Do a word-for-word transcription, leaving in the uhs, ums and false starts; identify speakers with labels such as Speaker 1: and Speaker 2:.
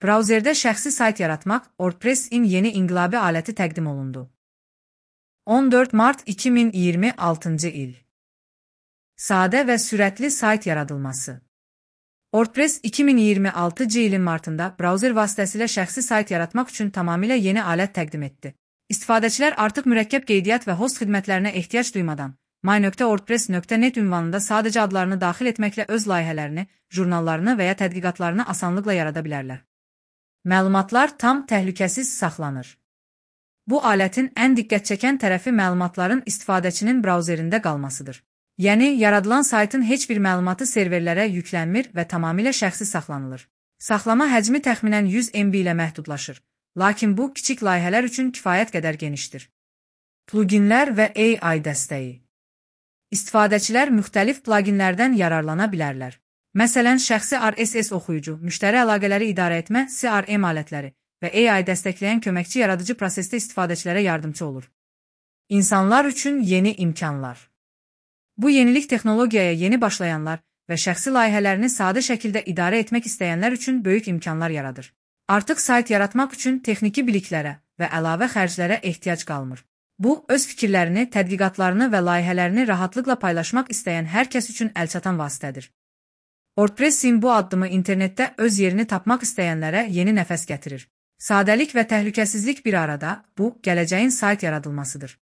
Speaker 1: Brauzerdə şəxsi sayt yaratmaq WordPress-in yeni inqilabi aləti təqdim olundu. on dörd mart iki min iyirmi altıncı il. Sadə və sürətli sayt yaradılması. WordPress iki min iyirmi altıncı ilin martında brauzer vasitəsilə şəxsi sayt yaratmaq üçün tamamilə yeni alət təqdim etdi. İstifadəçilər artıq mürəkkəb qeydiyyat və host xidmətlərinə ehtiyac duymadan my nöqtə wordpress nöqtə net ünvanında sadəcə adlarını daxil etməklə öz layihələrini, jurnallarını və ya tədqiqatlarını asanlıqla yarada bilərlər. Məlumatlar tam təhlükəsiz saxlanır. Bu alətin ən diqqət çəkən tərəfi məlumatların istifadəçinin brauzerində qalmasıdır. Yəni, yaradılan saytın heç bir məlumatı serverlərə yüklənmir və tamamilə şəxsi saxlanılır. Saxlama həcmi təxminən yüz M B ilə məhdudlaşır, lakin bu, kiçik layihələr üçün kifayət qədər genişdir. Pluginlər və A I dəstəyi. İstifadəçilər müxtəlif pluginlərdən yararlana bilərlər. Məsələn, şəxsi R S S oxuyucu, müştəri əlaqələri idarə etmə C R M alətləri və A I dəstəkləyən köməkçi yaradıcı prosesdə istifadəçilərə yardımçı olur. İnsanlar üçün yeni imkanlar. Bu yenilik texnologiyaya yeni başlayanlar və şəxsi layihələrini sadə şəkildə idarə etmək istəyənlər üçün böyük imkanlar yaradır. Artıq sayt yaratmaq üçün texniki biliklərə və əlavə xərclərə ehtiyac qalmır. Bu, öz fikirlərini, tədqiqatlarını və layihələrini rahatlıqla paylaşmaq istəyən hər kəs üçün əlçatan vasitədir. WordPress-in bu addımı internetdə öz yerini tapmaq istəyənlərə yeni nəfəs gətirir. Sadəlik və təhlükəsizlik bir arada, bu, gələcəyin sayt yaradılmasıdır.